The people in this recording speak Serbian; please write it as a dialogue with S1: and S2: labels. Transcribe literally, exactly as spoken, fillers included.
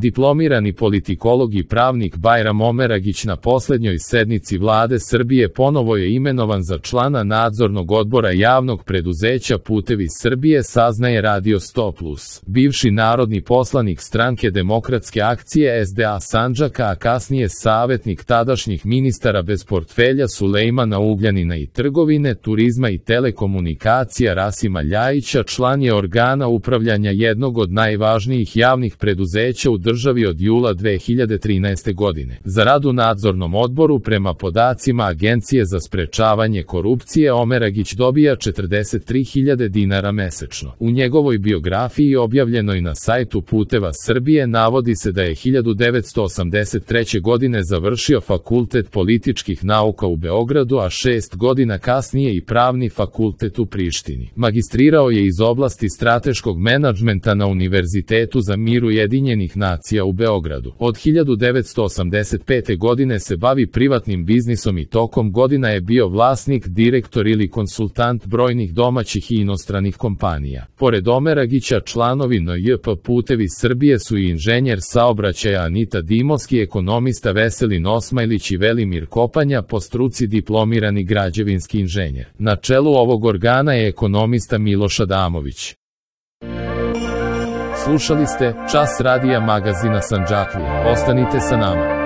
S1: Diplomirani politikolog i pravnik Bajram Omeragić na poslednjoj sednici Vlade Srbije ponovo je imenovan za člana nadzornog odbora javnog preduzeća Putevi Srbije, saznaje Radio sto plus. Bivši narodni poslanik Stranke demokratske akcije S D A Sandžaka, a kasnije savetnik tadašnjih ministara bez portfelja Sulejmana Ugljanina i trgovine, turizma i telekomunikacija Rasima Ljajića, član je organa upravljanja jednog od najvažnijih javnih preduzeća u državi od jula dve hiljade trinaeste. godine. Za rad u nadzornom odboru prema podacima Agencije za sprečavanje korupcije Omeragić dobija četrdeset tri hiljade dinara mesečno. U njegovoj biografiji objavljenoj na sajtu Puteva Srbije navodi se da je hiljadu devetsto osamdeset treće. godine završio Fakultet političkih nauka u Beogradu, a šest godina kasnije i Pravni fakultet u Prištini. Magistrirao je iz oblasti strateškog menadžmenta na Univerzitetu za mir Ujedinjenih nacija u Beogradu. Od hiljadu devetsto osamdeset pete. godine se bavi privatnim biznisom i tokom godina je bio vlasnik, direktor ili konsultant brojnih domaćih i inostranih kompanija. Pored Omeragića, članovi N J P Putevi Srbije su i inženjer saobraćaja Anita Dimovski, ekonomista Veselin Osmajlić i Velimir Kopanja, po struci diplomirani građevinski inženjer. Na čelu ovog organa je ekonomista Miloš Adamović. Slušali ste Čas radija magazina Sandžaklija. Ostanite sa nama.